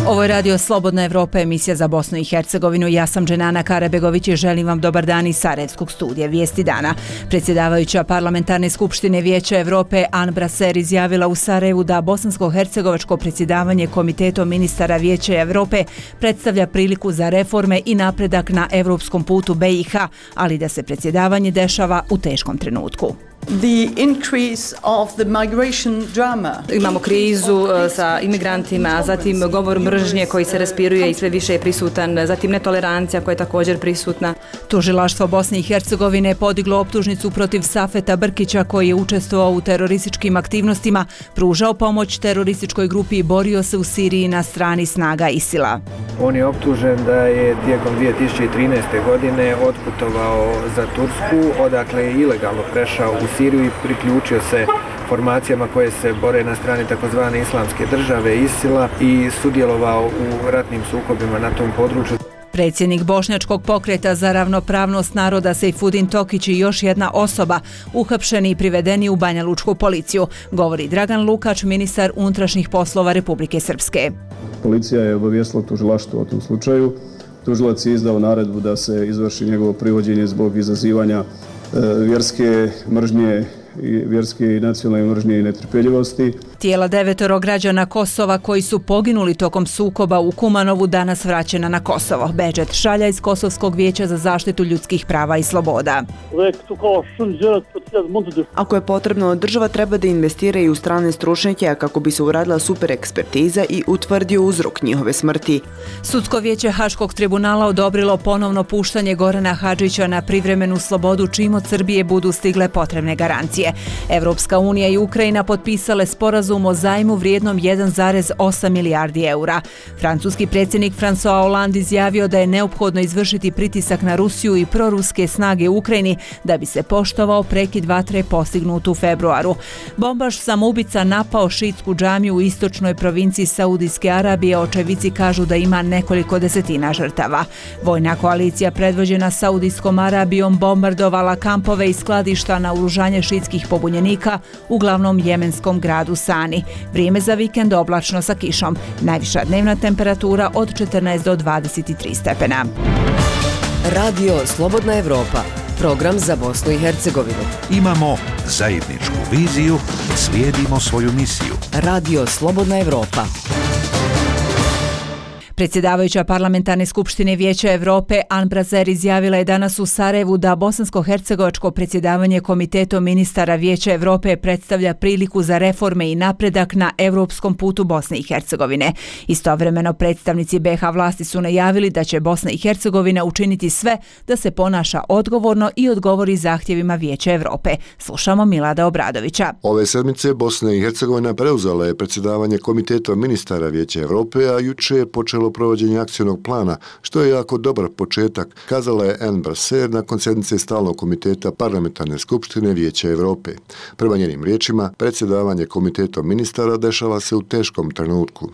Ovo je Radio Slobodna Evropa, emisija za Bosnu i Hercegovinu. Ja sam Dženana Karabegović i želim vam dobar dan iz Sarajevskog studija Vijesti dana. Predsjedavajuća Parlamentarne skupštine Vijeća Evrope An Braser izjavila u Sarajevu da bosansko-hercegovačko predsjedavanje Komitetom ministara Vijeća Evrope predstavlja priliku za reforme i napredak na evropskom putu BiH, ali da se predsjedavanje dešava u teškom trenutku. Imamo krizu sa imigrantima, zatim govor mržnje koji se raspiruje i sve više je prisutan, zatim netolerancija koja je također prisutna. Tužilaštvo Bosne i Hercegovine je podiglo optužnicu protiv Safeta Brkića koji je učestvovao u terorističkim aktivnostima, pružao pomoć terorističkoj grupi i borio se u Siriji na strani snaga ISIL-a. On je optužen da je tijekom 2013. godine otputovao za Tursku, odakle je ilegalno prešao u Siriju i priključio se formacijama koje se bore na strani takozvane islamske države ISIL-a i sudjelovao u ratnim sukobima na tom području. Predsjednik Bošnjačkog pokreta za ravnopravnost naroda Sejfudin Tokić i još jedna osoba uhapšeni i privedeni u Banja Lučku policiju, govori Dragan Lukač, ministar unutrašnjih poslova Republike Srpske. Policija je obavijestila tužilaštvo o tom slučaju. Tužilac je izdao naredbu da se izvrši njegovo privođenje zbog izazivanja vjerske mržnje i vjerske i nacionalne mržnje i netrpeljivosti. Tijela 9 građana Kosova koji su poginuli tokom sukoba u Kumanovu danas vraćena na Kosovo. Bedžet Šalja iz Kosovskog vijeća za zaštitu ljudskih prava i sloboda. Ako je potrebno, država treba da investira i u strane stručnjake kako bi se uradila super ekspertiza i utvrdio uzrok njihove smrti. Sudsko vijeće Haškog tribunala odobrilo ponovno puštanje Gorana Hadžića na privremenu slobodu čim od Srbije budu stigle potrebne garancije. Evropska unija i Ukrajina potpisale sporazum o zajmu vrijednom 1,8 milijardi eura. Francuski predsjednik François Hollande izjavio da je neophodno izvršiti pritisak na Rusiju i proruske snage u Ukrajini da bi se poštovao prekid vatre postignut u februaru. Bombaš samoubica napao šiitsku džamiju u istočnoj provinciji Saudijske Arabije, očevici kažu da ima nekoliko desetina žrtava. Vojna koalicija predvođena Saudijskom Arabijom bombardovala kampove i skladišta na oružanje šiitskih pobunjenika u glavnom jemenskom gradu Sani. Vrijeme za vikend oblačno sa kišom. Najviša dnevna temperatura od 14 do 23 stepena. Radio Slobodna Evropa, program za Bosnu i Hercegovinu. Imamo zajedničku viziju, slijedimo svoju misiju. Radio Slobodna Evropa. Predsjedavajuća Parlamentarne skupštine Vijeća Evrope An Braser izjavila je danas u Sarajevu da bosansko-hercegovačko predsjedavanje Komitetom ministara Vijeća Evrope predstavlja priliku za reforme i napredak na evropskom putu Bosne i Hercegovine. Istovremeno predstavnici BiH vlasti su najavili da će Bosna i Hercegovina učiniti sve da se ponaša odgovorno i odgovori zahtjevima Vijeća Evrope. Slušamo Milada Obradovića. Ove sedmice Bosna i Hercegovina preuzela je predsjedavanje Komitetom ministara Vijeća Evrope, a juče je počelo provođenje akcionog plana, što je jako dobar početak, kazala je An Braser nakon sjednice stalnog komiteta Parlamentarne skupštine Vijeća Evrope. Prema njenim riječima, predsjedavanje Komitetom ministara dešava se u teškom trenutku.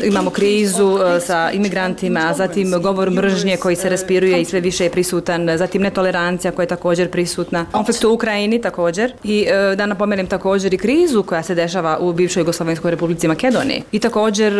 Imamo krizu sa imigrantima, zatim govor mržnje koji se raspiruje i sve više je prisutan, zatim netolerancija koja je također prisutna, konflikt u Ukrajini također i da napomenem također i krizu koja se dešava u bivšoj Jugoslovenskoj Republici Makedoniji. I također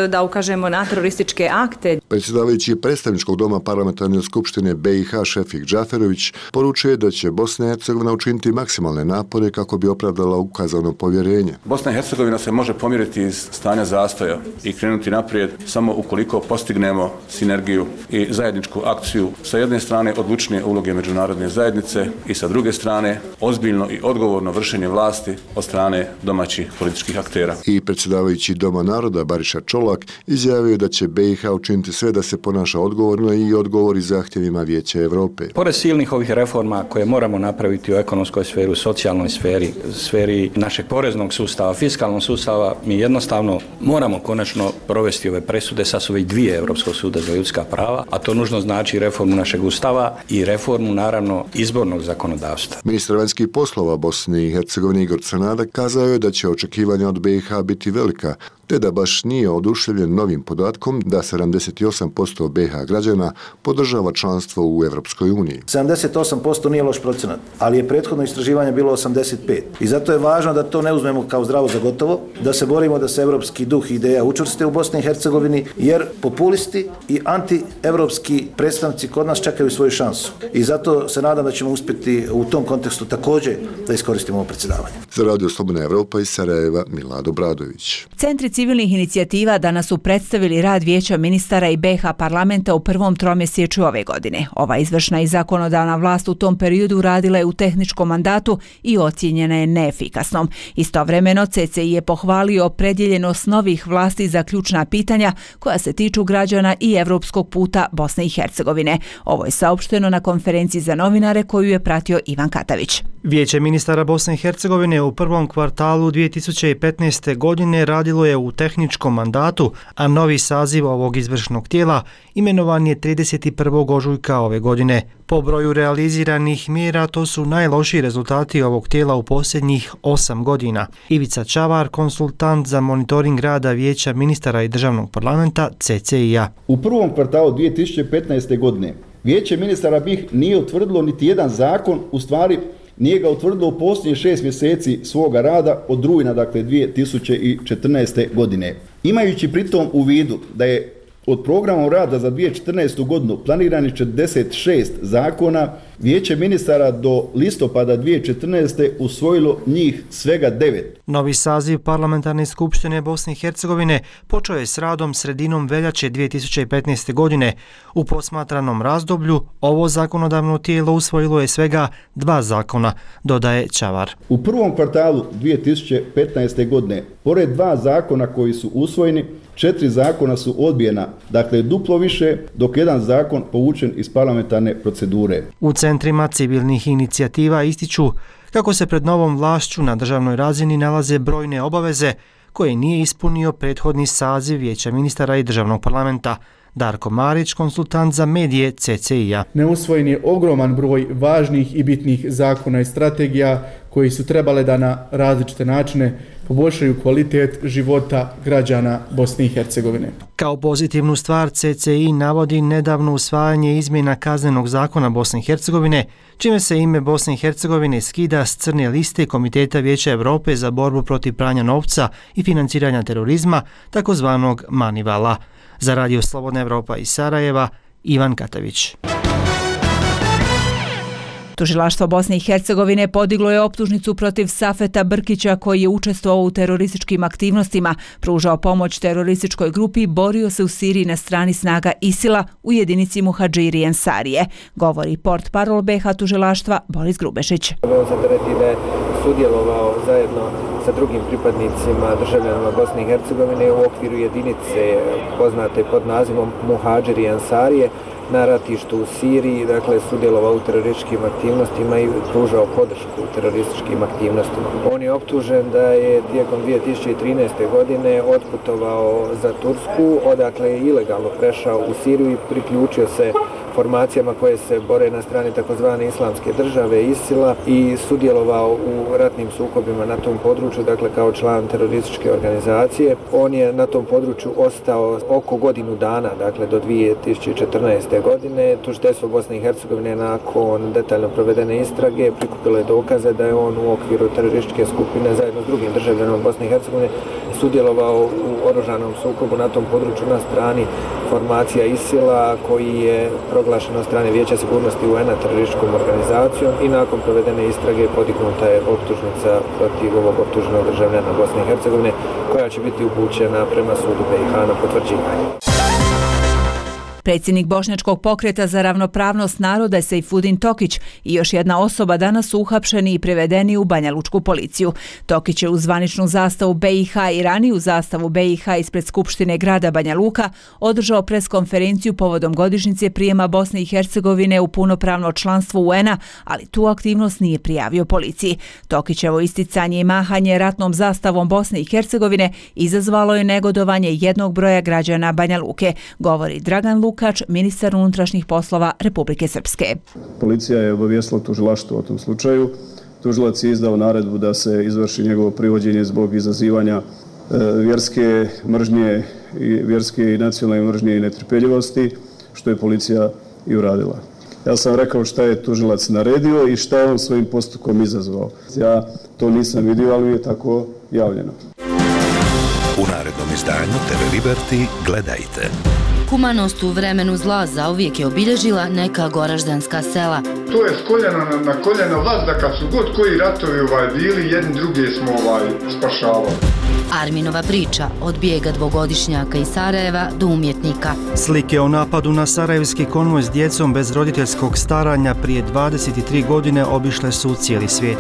da ukažemo na terorističke akte. Predsjedavajući predstavničkog doma Parlamentarne skupštine BiH Šefik Džaferović poručuje da će Bosna i Hercegovina učiniti maksimalne napore kako bi opravdala ukazano povjerenje. Bosna i Hercegovina se može pomiriti iz stanja zastoja i krenuti naprijed samo ukoliko postignemo sinergiju i zajedničku akciju sa jedne strane odlučnije uloge međunarodne zajednice i sa druge strane ozbiljno i odgovorno vršenje vlasti od strane domaćih političkih aktera. I predsjedavajući Doma naroda Bariša Čolak izjavio da će BiH učiniti sve da se ponaša odgovorno i odgovori zahtjevima Vijeća Evrope. Pored silnih ovih reforma koje moramo napraviti u ekonomskoj sferi, u socijalnoj sferi, sferi našeg poreznog sustava, fiskalnog sustava, mi jednostavno moramo konačno provesti ove presude, sad su već 2 Europskog suda za ljudska prava, a to nužno znači reformu našeg ustava i reformu naravno izbornog zakonodavstva. Ministar vanjskih poslova Bosne i Hercegovine Igor Crnada kazao je da će očekivanja od BiH biti velika te da baš nije oduševljen novim podatkom da 78% BiH građana podržava članstvo u Evropskoj uniji. 78% nije loš procenat, ali je prethodno istraživanje bilo 85%. I zato je važno da to ne uzmemo kao zdravo za gotovo, da se borimo da se evropski duh i ideja učvrste u Bosni i Hercegovini, jer populisti i anti-evropski predstavnici kod nas čekaju svoju šansu. I zato se nadam da ćemo uspjeti u tom kontekstu također da iskoristimo ovo predsjedavanje. Za Radio Slobodna Evropa iz Sarajeva, Milado Bradović. Centri civilnih inicijativa danas su predstavili rad Vijeća ministara i BiH parlamenta u prvom tromjesečju ove godine. Ova izvršna i zakonodavna vlast u tom periodu radila je u tehničkom mandatu i ocijenjena je neefikasnom. Istovremeno CCI je pohvalio opredjeljenost novih vlasti za ključna pitanja koja se tiču građana i evropskog puta Bosne i Hercegovine. Ovo je saopšteno na konferenciji za novinare koju je pratio Ivan Katavić. Vijeće ministara Bosne i Hercegovine u prvom kvartalu 2015. godine radilo je u tehničkom mandatu, a novi saziv ovog izvršnog tijela imenovan je 31. ožujka ove godine. Po broju realiziranih mjera to su najlošiji rezultati ovog tijela u posljednjih 8 godina. Ivica Čavar, konsultant za monitoring rada Vijeća ministara i državnog parlamenta CCI-a. U prvom kvartalu 2015. godine Vijeće ministara BiH nije utvrdilo niti jedan zakon, u stvari nije ga utvrdilo u posljednjih 6 mjeseci svoga rada od rujna, dakle 2014. godine. Imajući pritom u vidu da je od programa rada za 2014. godinu planirani 46 zakona, Vijeće ministara do listopada 2014. usvojilo njih svega 9. Novi saziv Parlamentarne skupštine Bosne i Hercegovine počeo je s radom sredinom veljače 2015. godine. U posmatranom razdoblju ovo zakonodavno tijelo usvojilo je svega 2 zakona, dodaje Čavar. U prvom kvartalu 2015. godine, pored 2 zakona koji su usvojeni, 4 zakona su odbijena, dakle duplo više, dok jedan zakon povučen iz parlamentarne procedure. U centrima civilnih inicijativa ističu kako se pred novom vlašću na državnoj razini nalaze brojne obaveze koje nije ispunio prethodni saziv Vijeća ministara i državnog parlamenta. Darko Marić, konsultant za medije CCI-a. Neusvojen je ogroman broj važnih i bitnih zakona i strategija koji su trebale da na različite načine poboljšaju kvalitet života građana Bosne i Hercegovine. Kao pozitivnu stvar CCI navodi nedavno usvajanje izmjena kaznenog zakona Bosne i Hercegovine, čime se ime Bosne i Hercegovine skida s crne liste Komiteta Vijeća Europe za borbu protiv pranja novca i financiranja terorizma, takozvanog Manivala. Za Radio Slobodna Evropa iz Sarajeva, Ivan Katavić. Tužilaštvo Bosne i Hercegovine podiglo je optužnicu protiv Safeta Brkića koji je učestvovao u terorističkim aktivnostima, pružao pomoć terorističkoj grupi, borio se u Siriji na strani snaga ISIL-a u jedinici Muhadžiri Ensarije. Govori portparol BiH tužilaštva Boris Grubešić. On se tereti da je sudjelovao zajedno sa drugim pripadnicima državljanima Bosne i Hercegovine u okviru jedinice poznate pod nazivom Muhadžiri Ensarije na ratištu u Siriji, dakle sudjelovao u terorističkim aktivnostima i pružao podršku terorističkim aktivnostima. On je optužen da je tijekom 2013. godine otputovao za Tursku, odakle je ilegalno prešao u Siriju i priključio se formacijama koje se bore na strani takozvane islamske države ISIL-a i sudjelovao u ratnim sukobima na tom području, dakle kao član terorističke organizacije. On je na tom području ostao oko godinu dana, dakle do 2014. godine. Tužiteljstvo Bosne i Hercegovine nakon detaljno provedene istrage prikupilo je dokaze da je on u okviru terorističke skupine zajedno s drugim državljanima Bosne i Hercegovine sudjelovao u oružanom sukobu na tom području na strani formacija ISIL-a koji je proglašen od strane Vijeća sigurnosti UN-a terorističkom organizacijom i nakon provedene istrage podignuta je optužnica protiv ovog optuženog državljana Bosne i Hercegovine koja će biti upućena prema sudu BiH na potvrđivanje. Predsjednik Bošnjačkog pokreta za ravnopravnost naroda Sejfudin Tokić i još jedna osoba danas su uhapšeni i prevedeni u Banja Lučku policiju. Tokić je uz zvaničnu zastavu BiH i raniju zastavu BiH ispred Skupštine grada Banja Luka održao preskonferenciju povodom godišnjice prijema Bosne i Hercegovine u punopravno članstvo UN-a, ali tu aktivnost nije prijavio policiji. Tokićevo isticanje i mahanje ratnom zastavom Bosne i Hercegovine izazvalo je negodovanje jednog broja građana Banja Luke, govori Dragan Lukač, ministar unutrašnjih poslova Republike Srpske. Policija je obavijestila tužilaštvo o tom slučaju. Tužilac je izdao naredbu da se izvrši njegovo privođenje zbog izazivanja vjerske i nacionalne mržnje i netrpeljivosti, što je policija i uradila. Ja sam rekao šta je tužilac naredio i šta je on svojim postupkom izazvao. Ja to nisam vidio, ali je tako javljeno. U narednom izdanju TV Liberty gledajte. Humanost u vremenu zla zauvijek je obilježila neka goraždanska sela. To je s koljena na koljena vazda kad su god koji ratovi bili, jedni druge smo spašavali. Arminova priča od bijega dvogodišnjaka iz Sarajeva do umjetnika. Slike o napadu na sarajevski konvoj s djecom bez roditeljskog staranja prije 23 godine obišle su cijeli svijet.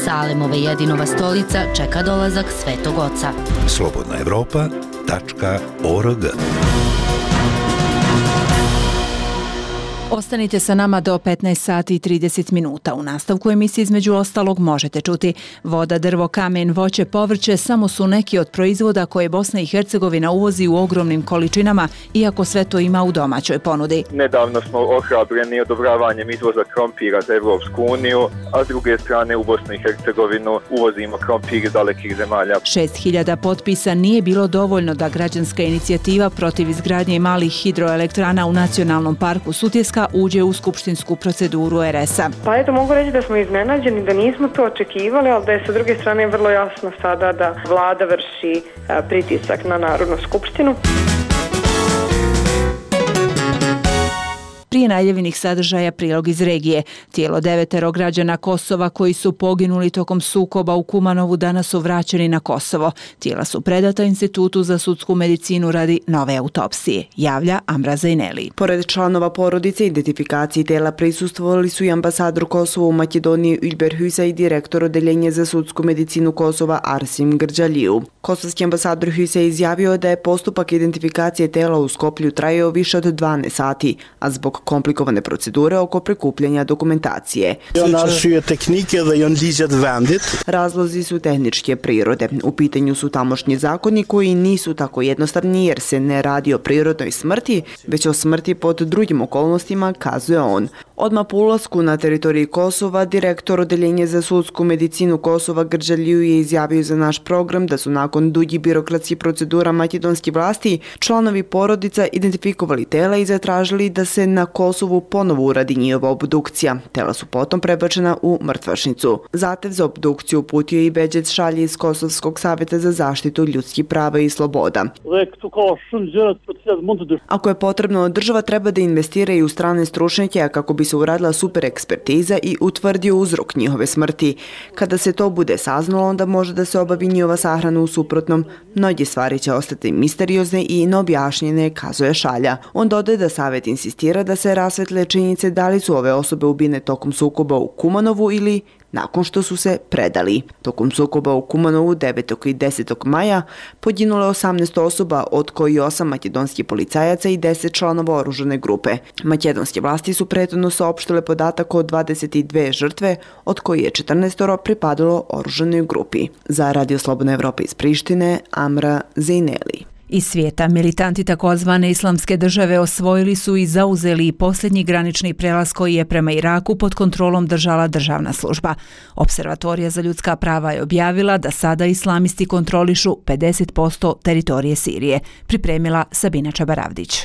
Salemove jedinova stolica čeka dolazak Svetog Oca. slobodnaevropa.org. Ostanite sa nama do 15 sati i 30 minuta. U nastavku emisije između ostalog možete čuti: voda, drvo, kamen, voće, povrće samo su neki od proizvoda koje Bosna i Hercegovina uvozi u ogromnim količinama, iako sve to ima u domaćoj ponudi. Nedavno smo ohrabreni odobravanjem izvoza krompira za Evropsku uniju, a s druge strane u Bosnu i Hercegovinu uvozimo krompir iz dalekih zemalja. 6.000 potpisa nije bilo dovoljno da građanska inicijativa protiv izgradnje malih hidroelektrana u Nacionalnom parku Sutjeska uđe u skupštinsku proceduru RS-a. Pa eto, mogu reći da smo iznenađeni, da nismo to očekivali, ali da je sa druge strane vrlo jasno sada da vlada vrši pritisak na Narodnu skupštinu. Prije najavljenih sadržaja prilog iz regije. Tijelo 9 građana Kosova koji su poginuli tokom sukoba u Kumanovu danas su vraćeni na Kosovo. Tijela su predata Institutu za sudsku medicinu radi nove autopsije, javlja Amra Zajneli. Pored članova porodice, identifikaciji tela prisustvovali su i ambasador Kosova u Makedoniji Ülber Hüsa i direktor odeljenja za sudsku medicinu Kosova Arsim Grđaliju. Kosovski ambasador Hüsa je izjavio da je postupak identifikacije tela u Skoplju trajao više od 12 sati, a zbog komplikovane procedure oko prikupljanja dokumentacije. Razlozi su tehničke prirode. U pitanju su tamošnji zakoni koji nisu tako jednostavni jer se ne radi o prirodnoj smrti, već o smrti pod drugim okolnostima, kazuje on. Odmah po ulasku na teritoriji Kosova, direktor odeljenja za sudsku medicinu Kosova Grđaliju je izjavio za naš program da su nakon dugih birokratskih procedura makedonskih vlasti članovi porodica identifikovali tela i zatražili da se na Kosovu ponovo uradi njihova obdukcija. Tela su potom prebačena u mrtvačnicu. Zahtev za obdukciju uputio i Beđec Šalji iz Kosovskog savjeta za zaštitu ljudskih prava i sloboda. Ako je potrebno, država treba da investira i u strane stručnjake kako bi se uradila super ekspertiza i utvrdio uzrok njihove smrti. Kada se to bude saznalo, onda može da se obavi njihova sahrana, u suprotnom mnoge stvari će ostati misteriozne i neobjašnjene, kazuje Šalja. On dodaje da savjet insistira da se rasvetle činjenice da li su ove osobe ubine tokom sukoba u Kumanovu ili nakon što su se predali. Tokom sukoba u Kumanovu 9. i 10. maja poginulo je 18 osoba, od koji 8 makedonskih policajaca i 10 članova oružane grupe. Makedonske vlasti su prethodno saopštile podatak o 22 žrtve, od koji je 14 pripadalo oružanoj grupi. Za Radio Slobodna Evropa iz Prištine, Amra Zajneli. Iz svijeta, militanti takozvane islamske države osvojili su i zauzeli posljednji granični prelaz koji je prema Iraku pod kontrolom držala državna služba. Observatorija za ljudska prava je objavila da sada islamisti kontrolišu 50% teritorije Sirije. Pripremila Sabina Čabaravdić.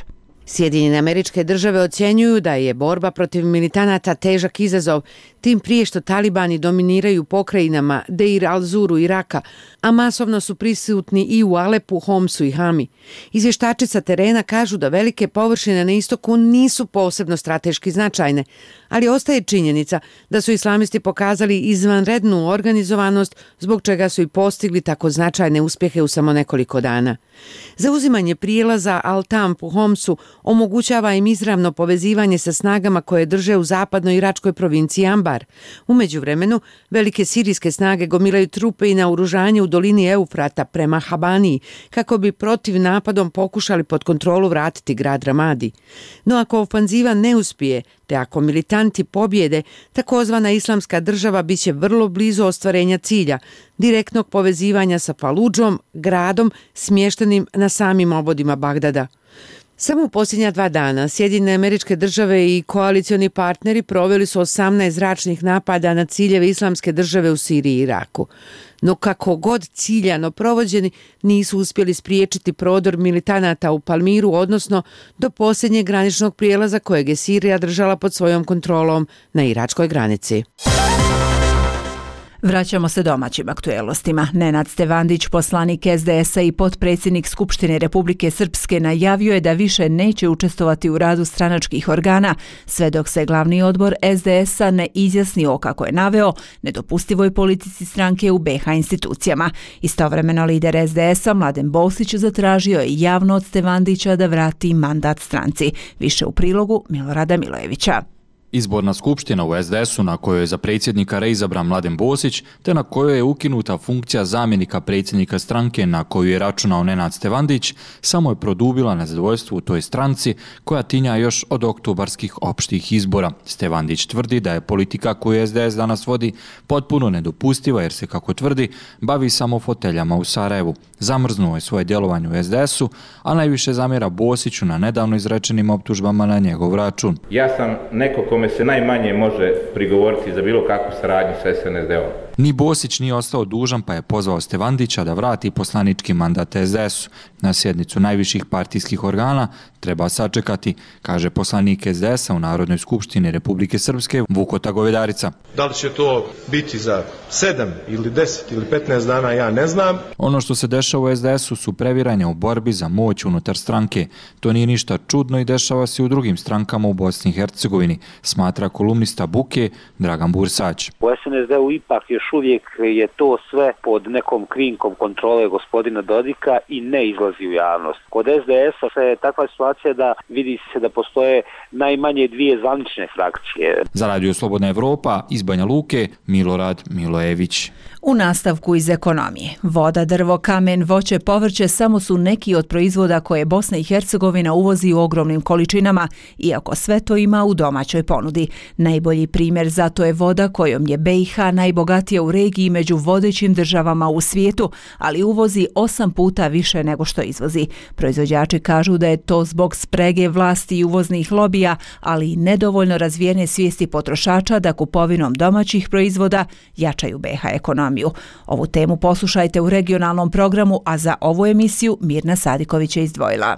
Sjedinjene Američke Države ocjenjuju da je borba protiv militanata težak izazov, tim prije što talibani dominiraju pokrajinama Deir al-Zuru Iraka, a masovno su prisutni i u Alepu, Homsu i Hami. Izvještači sa terena kažu da velike površine na istoku nisu posebno strateški značajne, ali ostaje činjenica da su islamisti pokazali izvanrednu organizovanost, zbog čega su i postigli tako značajne uspjehe u samo nekoliko dana. Zauzimanje prijelaza Al-Tamp u Homsu omogućava im izravno povezivanje sa snagama koje drže u zapadnoj iračkoj provinciji Ambar. U međuvremenu, velike sirijske snage gomilaju trupe i naoružanje u dolini Eufrata prema Habaniji, kako bi protiv napadom pokušali pod kontrolu vratiti grad Ramadi. No ako ofanziva ne uspije, te ako militanti pobjede, takozvana islamska država biće vrlo blizu ostvarenja cilja, direktnog povezivanja sa Faludžom, gradom smještenim na samim obodima Bagdada. Samo u posljednja 2 dana Sjedinjene Američke Države i koalicioni partneri proveli su 18 zračnih napada na ciljeve islamske države u Siriji i Iraku. no kako god ciljano provođeni nisu uspjeli spriječiti prodor militanata u Palmiru, odnosno do posljednjeg graničnog prijelaza kojeg je Sirija držala pod svojom kontrolom na iračkoj granici. Vraćamo se domaćim aktuelnostima. Nenad Stevandić, poslanik SDS-a i potpredsjednik Skupštine Republike Srpske, najavio je da više neće učestvovati u radu stranačkih organa, sve dok se glavni odbor SDS-a ne izjasni o, kako je naveo, nedopustivoj politici stranke u BiH institucijama. Istovremeno lider SDS-a Mladen Bosić zatražio je javno od Stevandića da vrati mandat stranci. Više u prilogu Milorada Milojevića. Izborna skupština u SDS-u na kojoj je za predsjednika reizabran Mladen Bosić, te na kojoj je ukinuta funkcija zamjenika predsjednika stranke na koju je računao Nenad Stevandić, samo je produbila nezadovoljstvo u toj stranci koja tinja još od oktobarskih opštih izbora. Stevandić tvrdi da je politika koju SDS danas vodi potpuno nedopustiva jer se, kako tvrdi, bavi samo foteljama u Sarajevu. Zamrznuo je svoje djelovanje u SDS-u, a najviše zamjera Bosiću na nedavno izrečenim optužbama na njegov račun. Ja sam neko kome se najmanje može prigovoriti za bilo kakvu saradnju sa SNSD-om. Ni Bosić nije ostao dužan pa je pozvao Stevandića da vrati poslanički mandat SDS-u. Na sjednicu najviših partijskih organa treba sačekati, kaže poslanik SDS-a u Narodnoj skupštini Republike Srpske Vukota Govedarica. Da li će to biti za 7 ili 10 ili 15 dana, ja ne znam. Ono što se dešava u SDS-u su previranja u borbi za moć unutar stranke. To nije ništa čudno i dešava se u drugim strankama u Bosni i Hercegovini, smatra kolumnista Buke Dragan Bursać. U SNSD-u ipak još uvijek je to sve pod nekom krinkom kontrole gospodina Dodika i ne izlazi u javnost. Kod SDS-a je takva situacija da vidi se da postoje najmanje dvije zvanične frakcije. Za Radio Slobodna Evropa iz Banja Luke Milorad Milojević. U nastavku iz ekonomije. Voda, drvo, kamen, voće, povrće samo su neki od proizvoda koje Bosna i Hercegovina uvozi u ogromnim količinama, iako sve to ima u domaćoj ponudi. Najbolji primjer za to je voda kojom je BiH najbogatija u regiji među vodećim državama u svijetu, ali uvozi 8 puta više nego što izvozi. Proizvođači kažu da je to zbog sprege vlasti i uvoznih lobija, ali i nedovoljno razvijene svijesti potrošača da kupovinom domaćih proizvoda jačaju BiH ekonomiju. Ovu temu poslušajte u regionalnom programu, a za ovu emisiju Mirna Sadiković je izdvojila.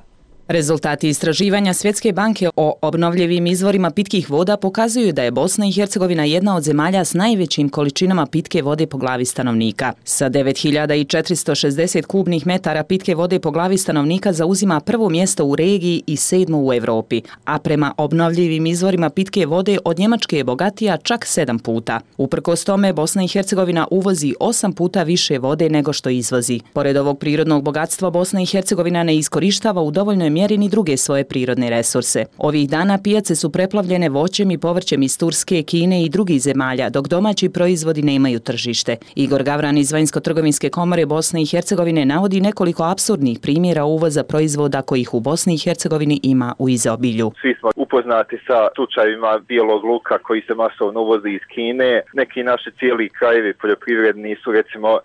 Rezultati istraživanja Svjetske banke o obnovljivim izvorima pitkih voda pokazuju da je Bosna i Hercegovina jedna od zemalja s najvećim količinama pitke vode po glavi stanovnika. Sa 9460 kubnih metara pitke vode po glavi stanovnika zauzima prvo mjesto u regiji i 7. u Europi, a prema obnovljivim izvorima pitke vode od Njemačke je bogatija čak 7 puta. Uprkos tome, Bosna i Hercegovina uvozi 8 puta više vode nego što izvozi. Pored ovog prirodnog bogatstva, Bosna i Hercegovina ne iskorištava u dovoljnoj mjeri ni druge svoje prirodne resurse. Ovih dana pijace su preplavljene voćem i povrćem iz Turske, Kine i drugih zemalja, dok domaći proizvodi nemaju tržište. Igor Gavran iz Vanjsko-trgovinske komore Bosne i Hercegovine navodi nekoliko apsurdnih primjera uvoza proizvoda kojih u Bosni i Hercegovini ima u izobilju. Svi smo upoznati sa slučajevima bijelog luka koji se masovno uvozi iz Kine. Neki naši cijeli krajevi poljoprivredni su recimo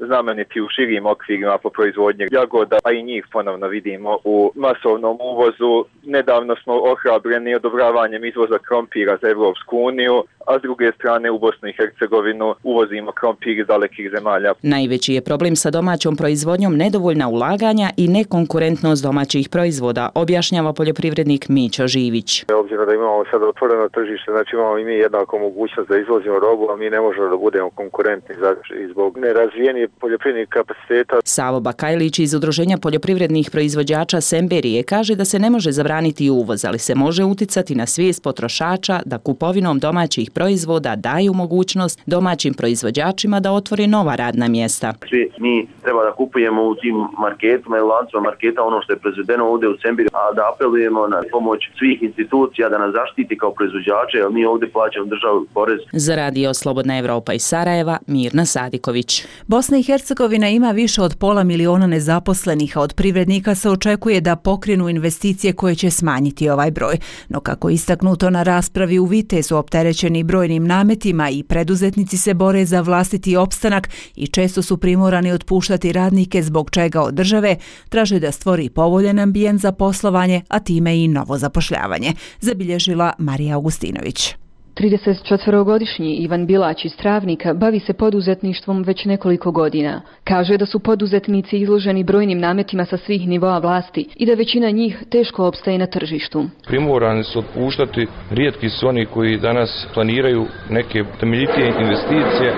znameniti u širim okvirima po proizvodnje jagoda, a i njih ponovno vidimo u masovnom uvozu. Nedavno smo ohrabreni odobravanjem izvoza krompira za Evropsku uniju, a s druge strane u Bosnu i Hercegovinu uvozimo krompir iz dalekih zemalja. Najveći je problem sa domaćom proizvodnjom nedovoljna ulaganja i nekonkurentnost domaćih proizvoda, objašnjava poljoprivrednik Mićo Živić. Obzirom da imamo sad otvoreno tržište, znači imamo i mi jednako mogućnost da izvozimo robu, a mi ne možemo da budemo konkurentni zbog nerazvijenih poljoprivrednih kapaciteta. Savo Bakajlić iz Udruženja poljoprivrednih proizvođača Semberije kaže da se ne može zabraniti uvoz, ali se može uticati na svijest potrošača da kupovinom domaćih proizvoda daju mogućnost domaćim proizvođačima da otvore nova radna mjesta. Svi mi treba da kupujemo u tim marketima i lancima marketa ono što je proizvedeno ovdje u Semberiji, a da apelujemo na pomoć svih institucija da nas zaštiti kao proizvođače, jer mi ovdje plaćamo državu porez. Za Radio Slobodna Evropa iz Sarajeva, Mirna Sadiković. Bosna i Hercegovina ima više od 500 000 nezaposlenih, a od privrednika se očekuje da pokrenu investicije koje će smanjiti ovaj broj. No kako istaknuto na raspravi u Vitezu, opterećeni brojnim nametima i preduzetnici se bore za vlastiti opstanak i često su primorani otpuštati radnike, zbog čega od države traže da stvori povoljan ambijent za poslovanje, a time i novo zapošljavanje, zabilježila Marija Augustinović. 34-godišnji Ivan Bilać iz Travnika bavi se poduzetništvom već nekoliko godina. Kaže da su poduzetnici izloženi brojnim nametima sa svih nivoa vlasti i da većina njih teško opstaje na tržištu. Primorani su otpuštati, rijetki su oni koji danas planiraju neke temeljitije investicije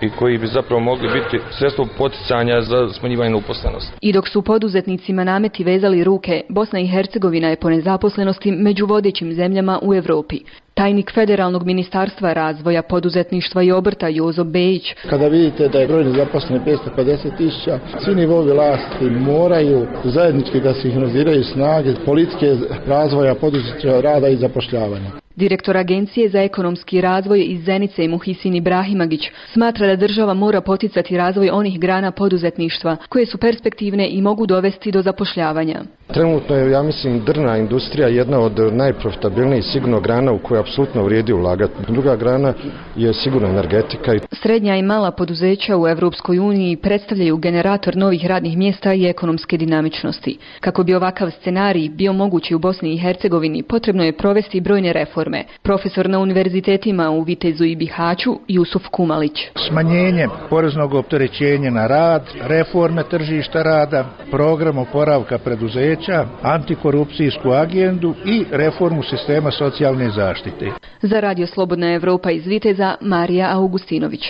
i koji bi zapravo mogli biti sredstvo poticanja za smanjivanje neuposlenosti. I dok su poduzetnicima nameti vezali ruke, Bosna i Hercegovina je po nezaposlenosti među vodećim zemljama u Europi. Tajnik Federalnog ministarstva razvoja, poduzetništva i obrta Jozo Bejić. Kada vidite da je broj nezaposlenih 550.000, svi nivovi vlasti moraju zajednički da sinhroniziraju snage politike razvoja, poduzetništva, rada i zapošljavanja. Direktor Agencije za ekonomski razvoj iz Zenice Muhisin Ibrahimagić smatra da država mora poticati razvoj onih grana poduzetništva koje su perspektivne i mogu dovesti do zapošljavanja. Trenutno je, ja mislim, drvna industrija jedna od najprofitabilnijih sigurno grana u kojoj apsolutno vrijedi ulagati. Druga grana je sigurno energetika. Srednja i mala poduzeća u Europskoj uniji predstavljaju generator novih radnih mjesta i ekonomske dinamičnosti. Kako bi ovakav scenarij bio mogući u Bosni i Hercegovini, potrebno je provesti brojne reforme. Profesor na univerzitetima u Vitezu i Bihaću Jusuf Kumalić. Smanjenje poreznog opterećenja na rad, reforme tržišta rada, program oporavka preduzeća, antikorupcijsku agendu i reformu sistema socijalne zaštite. Za Radio Slobodna Evropa iz Viteza, Marija Augustinović.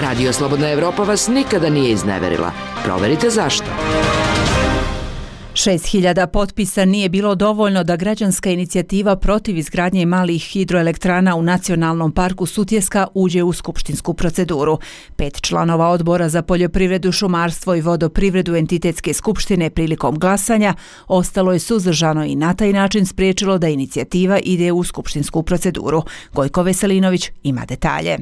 Radio Slobodna Evropa vas nikada nije izneverila. Proverite zašto. 6.000 potpisa nije bilo dovoljno da građanska inicijativa protiv izgradnje malih hidroelektrana u Nacionalnom parku Sutjeska uđe u skupštinsku proceduru. 5 članova odbora za poljoprivredu, šumarstvo i vodoprivredu entitetske skupštine prilikom glasanja ostalo je suzdržano i na taj način spriječilo da inicijativa ide u skupštinsku proceduru. Gojko Veselinović ima detalje.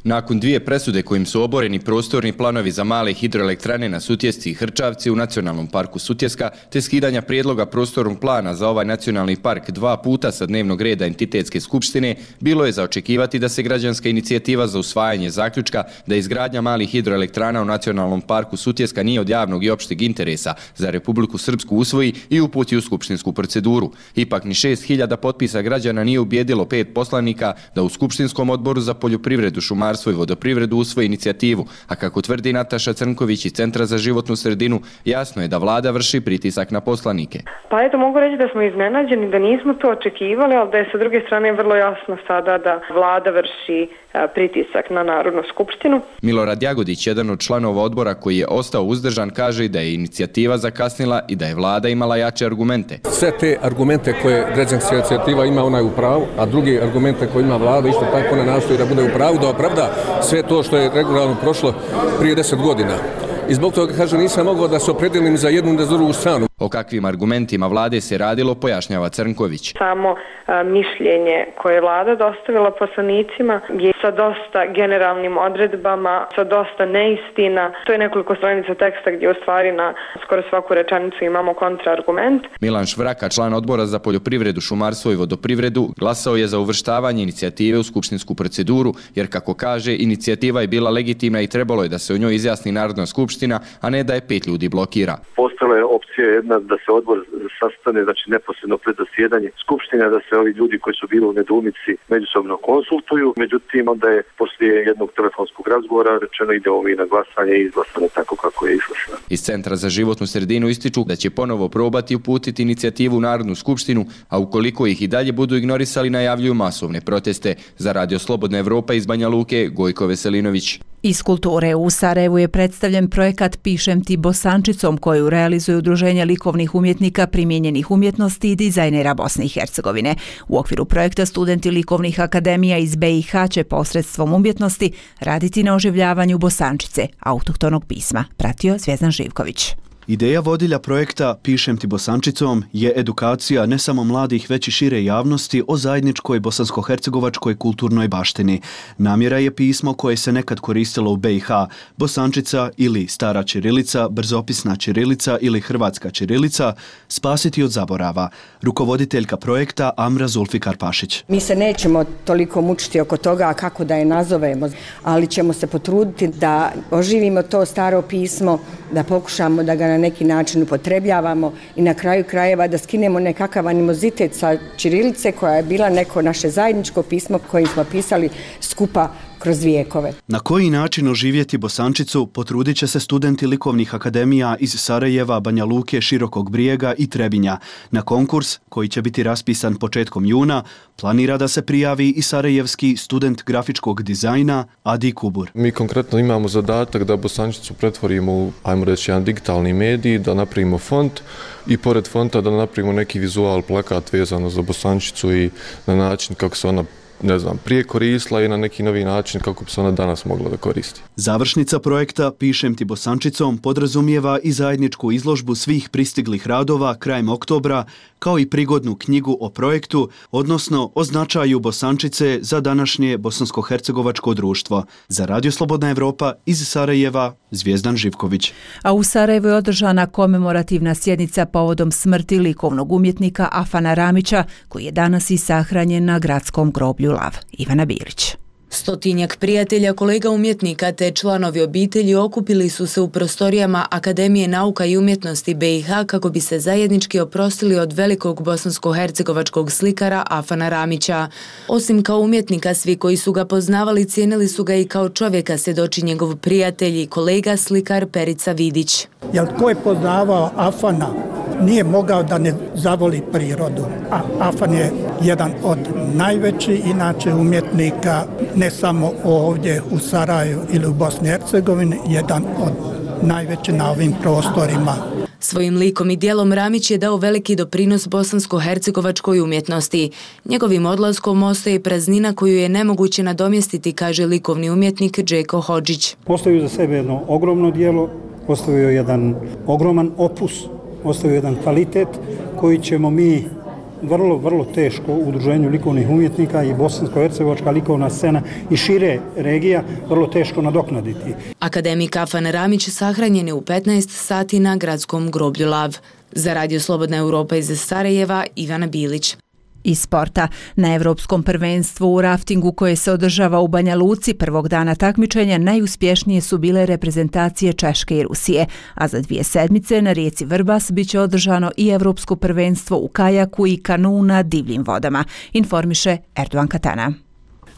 Nakon 2 presude kojim su oboreni prostorni planovi za male hidroelektrane na Sutjesci i Hrčavci u Nacionalnom parku Sutjeska, te skidanja prijedloga prostornog plana za ovaj nacionalni park 2 puta sa dnevnog reda entitetske skupštine, bilo je za očekivati da se građanska inicijativa za usvajanje zaključka da izgradnja malih hidroelektrana u Nacionalnom parku Sutjeska nije od javnog i opšteg interesa za Republiku Srpsku usvoji i uputi u skupštinsku proceduru. Ipak ni 6.000 potpisa građana nije ubijedilo 5 poslanika da u Skupštinskom odboru za poljoprivredu, šumarstvo i vodoprivredu usvoji inicijativu, a kako tvrdi Nataša Crnković iz Centra za životnu sredinu, jasno je da vlada vrši pritisak na poslanike. Pa eto, mogu reći da smo iznenađeni, da nismo to očekivali, ali da je sa druge strane vrlo jasno sada da vlada vrši pritisak na Narodnu skupštinu. Milorad Jagodić, jedan od članova odbora koji je ostao uzdržan, kaže da je inicijativa zakasnila i da je vlada imala jače argumente. Sve te argumente koje građanska inicijativa ima, ona je u pravu, a drugi argumente koje ima vlada, isto tako ona nastoji da bude u pravu, da opravda sve to što je regularno prošlo prije 10 godina. I zbog toga, kaže, nisam mogao da se opredelim za jednu i za drugu stranu. O kakvim argumentima vlade se radilo, pojašnjava Crnković. Samo mišljenje koje je vlada dostavila poslanicima je sa dosta generalnim odredbama, sa dosta neistina. To je nekoliko stranica teksta gdje u stvari na skoro svaku rečenicu imamo kontraargument. Milan Švraka, član odbora za poljoprivredu, šumarstvo i vodoprivredu, glasao je za uvrštavanje inicijative u skupštinsku proceduru, jer kako kaže, inicijativa je bila legitimna i trebalo je da se o njoj izjasni Narodna skupština, a ne da je 5 ljudi blokira. Postala je opcija jedna da se odbor sastane, znači neposredno pred zasjedanje skupštine, da se ovi ljudi koji su bili u nedoumici međusobno konsultuju. Međutim, onda je poslije jednog telefonskog razgovora rečeno idemo mi na glasanje i izglasano tako kako je išlo. Iz Centra za životnu sredinu ističu da će ponovo probati uputiti inicijativu u Narodnu skupštinu, a ukoliko ih i dalje budu ignorisali, najavljuju masovne proteste. Za Radio Slobodna Evropa iz Banja Luke, Gojko Veselinović. Iz kulture u Sarajevu je predstavljen projekat Pišem ti bosančicom koju realizuje Udruženje likovnih umjetnika primijenjenih umjetnosti i dizajnera Bosne i Hercegovine. U okviru projekta studenti likovnih akademija iz BiH će posredstvom umjetnosti raditi na oživljavanju bosančice, autohtonog pisma, pratio Zvjezdan Živković. Ideja vodilja projekta Pišem ti bosančicom je edukacija ne samo mladih već i šire javnosti o zajedničkoj bosansko-hercegovačkoj kulturnoj baštini. Namjera je pismo koje se nekad koristilo u BiH, bosančica ili stara ćirilica, brzopisna ćirilica ili hrvatska ćirilica, spasiti od zaborava. Rukovoditeljka projekta Amra Zulfikar Pašić. Mi se nećemo toliko mučiti oko toga kako da je nazovemo, ali ćemo se potruditi da oživimo to staro pismo, da pokušamo da ga na neki način upotrebljavamo i na kraju krajeva da skinemo nekakav animozitet sa ćirilice koja je bila neko naše zajedničko pismo kojim smo pisali skupa kroz vijekove. Na koji način oživjeti bosančicu potrudit će se studenti likovnih akademija iz Sarajeva, Banja Luke, Širokog Brijega i Trebinja. Na konkurs, koji će biti raspisan početkom juna, planira da se prijavi i sarajevski student grafičkog dizajna Adi Kubur. Mi konkretno imamo zadatak da bosančicu pretvorimo u, ajmo reći, jedan digitalni medij, da napravimo font i pored fonta da napravimo neki vizual, plakat vezano za bosančicu i na način kako se ona prije koristila i na neki novi način kako bi se ona danas mogla da koristi. Završnica projekta Pišem ti bosančicom podrazumijeva i zajedničku izložbu svih pristiglih radova krajem oktobra, kao i prigodnu knjigu o projektu, odnosno o značaju bosančice za današnje bosansko-hercegovačko društvo. Za Radio Slobodna Evropa iz Sarajeva, Zvijezdan Živković. A u Sarajevu je održana komemorativna sjednica povodom smrti likovnog umjetnika Afana Ramića, koji je danas i sahranjen na gradskom groblju Lav. Ivana Bilić. Stotinjak prijatelja, kolega umjetnika te članovi obitelji okupili su se u prostorijama Akademije nauka i umjetnosti BiH kako bi se zajednički oprostili od velikog bosansko-hercegovačkog slikara Afana Ramića. Osim kao umjetnika, svi koji su ga poznavali cijenili su ga i kao čovjeka, svjedoči njegov prijatelj i kolega slikar Perica Vidić. Jel tko je poznavao Afana nije mogao da ne zavoli prirodu. A Afan je jedan od najvećih inače umjetnika, ne samo ovdje u Sarajevu ili u Bosni i Hercegovini, jedan od najvećih na ovim prostorima. Svojim likom i dijelom Ramić je dao veliki doprinos bosansko-hercegovačkoj umjetnosti. Njegovim odlaskom ostaje praznina koju je nemoguće nadomjestiti, kaže likovni umjetnik Džeko Hodžić. Postavio za sebe jedno ogromno dijelo, postavio jedan ogroman opus, ostavio jedan kvalitet koji ćemo mi vrlo teško u udruženju likovnih umjetnika i bosansko-hercegovačka likovna scena i šire regija vrlo teško nadoknaditi. Akademik Afan Ramić sahranjen je u 15 sati na gradskom groblju Lav. Za Radio Slobodna Evropa iz Sarajeva, Ivana Bilić. Iz sporta. Na Evropskom prvenstvu u raftingu koje se održava u Banja Luci prvog dana takmičenja najuspješnije su bile reprezentacije Češke i Rusije, a za 2 sedmice na rijeci Vrbas biće održano i Evropsko prvenstvo u kajaku i kanu na divljim vodama, informiše Erdogan Katana.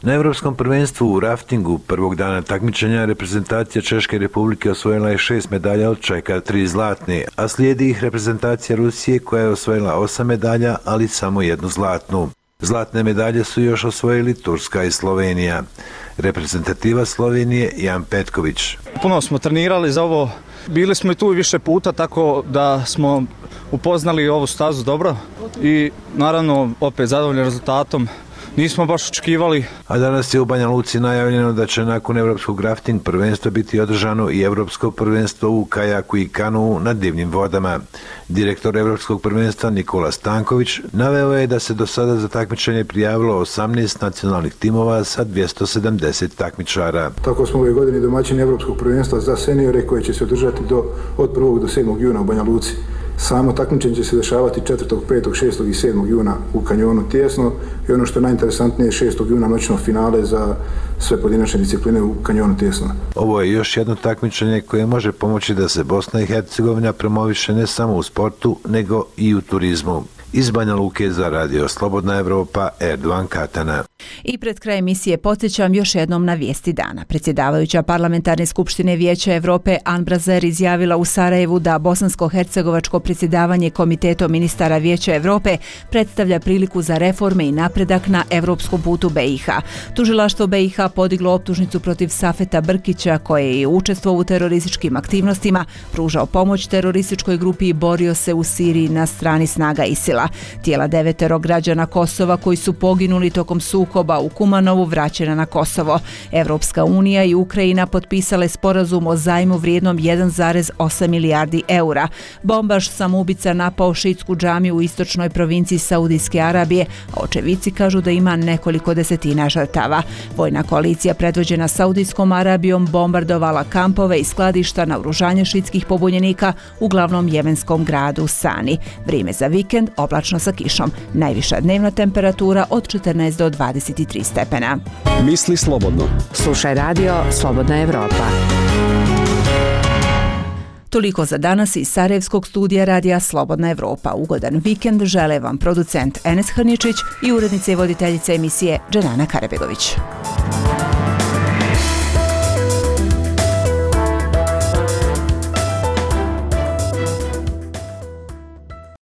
Na Evropskom prvenstvu u raftingu prvog dana takmičenja reprezentacija Češke republike osvojila je 6 medalja, od čega 3 zlatne, a slijedi ih reprezentacija Rusije koja je osvojila 8 medalja, ali samo 1 zlatnu. Zlatne medalje su još osvojili Turska i Slovenija. Reprezentativa Slovenije Jan Petković. Puno smo trenirali za ovo, bili smo i tu više puta, tako da smo upoznali ovu stazu dobro i naravno opet zadovoljni rezultatom. Nismo baš očekivali. A danas je u Banja Luci najavljeno da će nakon Evropskog rafting prvenstva biti održano i Evropsko prvenstvo u kajaku i kanu na divnim vodama. Direktor Evropskog prvenstva Nikola Stanković naveo je da se do sada za takmičenje prijavilo 18 nacionalnih timova sa 270 takmičara. Tako smo ove godine domaćini Evropskog prvenstva za seniore koje će se održati od 1. do 7. juna u Banja Luci. Samo takmičenje će se dešavati 4., 5., 6. i 7. juna u kanjonu Tijesno i ono što je najinteresantnije 6. juna noćno finale za sve pojedinačne discipline u kanjonu Tijesno. Ovo je još jedno takmičenje koje može pomoći da se Bosna i Hercegovina promoviše ne samo u sportu, nego i u turizmu. Iz Banja Luke za Radio Slobodna Evropa, Erdogan Katana. I pred kraj emisije podsjećam još jednom na vijesti dana. Predsjedavajuća Parlamentarne skupštine Vijeća Evrope An Brazer izjavila u Sarajevu da bosansko-hercegovačko predsjedavanje Komitetom ministara Vijeća Evrope predstavlja priliku za reforme i napredak na evropskom putu BiH. Tužilaštvo BiH podiglo optužnicu protiv Safeta Brkića, koje je učestvovao u terorističkim aktivnostima, pružao pomoć terorističkoj grupi i borio se u Siriji na strani snaga ISIL-a. Tijela 9 građana Kosova koji su poginuli tokom sukoba u Kumanovu vraćena na Kosovo. Evropska unija i Ukrajina potpisale sporazum o zajmu vrijednom 1,8 milijardi eura. Bombaš samoubica napao šiitsku džamiju u istočnoj provinciji Saudijske Arabije, a očevici kažu da ima nekoliko desetina žrtava. Vojna koalicija predvođena Saudijskom Arabijom bombardovala kampove i skladišta naoružanja šiitskih pobunjenika u glavnom jemenskom gradu Sani. Vrijeme za vikend oblačno sa kišom. Najviša dnevna temperatura od 14 do 23 stepena. Misli slobodno. Slušaj Radio Slobodna Evropa. Toliko za danas iz Sarajevskog studija radija Slobodna Evropa. Ugodan vikend žele vam producent Enes Hrničić i urednica i voditeljica emisije Dženana Karabegović.